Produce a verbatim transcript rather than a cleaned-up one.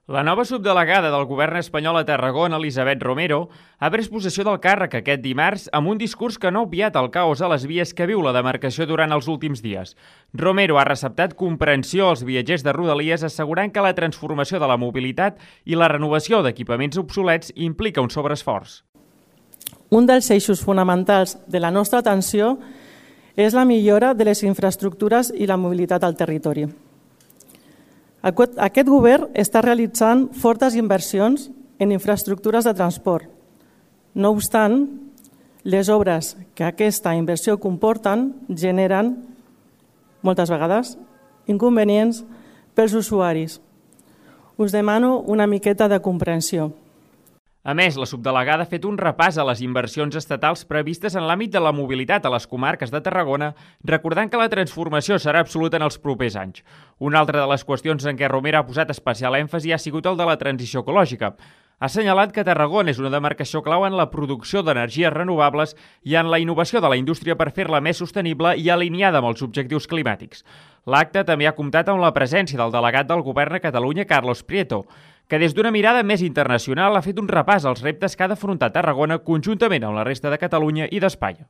La nova subdelegada del govern espanyol a Tarragona, Elisabet Romero, ha pres possessió del càrrec aquest dimarts amb un discurs que no ha obviat el caos a les vies que viu la demarcació durant els últims dies. Romero ha receptat comprensió als viatgers de Rodalies, assegurant que la transformació de la mobilitat i la renovació d'equipaments obsolets implica un sobreesforç. Un dels eixos fonamentals de la nostra atenció és la millora de les infraestructures i la mobilitat al territori. Aquest govern està realitzant fortes inversions en infraestructures de transport. No obstant, les obres que aquesta inversió comporten generen, moltes vegades, inconvenients pels usuaris. Us demano una miqueta de comprensió. A més, la subdelegada ha fet un repàs a les inversions estatals previstes en l'àmbit de la mobilitat a les comarques de Tarragona, recordant que la transformació serà absoluta en els propers anys. Una altra de les qüestions en què Romero ha posat especial èmfasi ha sigut el de la transició ecològica. Ha assenyalat que Tarragona és una demarcació clau en la producció d'energies renovables i en la innovació de la indústria per fer-la més sostenible i alineada amb els objectius climàtics. L'acte també ha comptat amb la presència del delegat del govern a Catalunya, Carlos Prieto, que des d'una mirada més internacional ha fet un repàs als reptes que ha d'afrontar Tarragona conjuntament amb la resta de Catalunya i d'Espanya.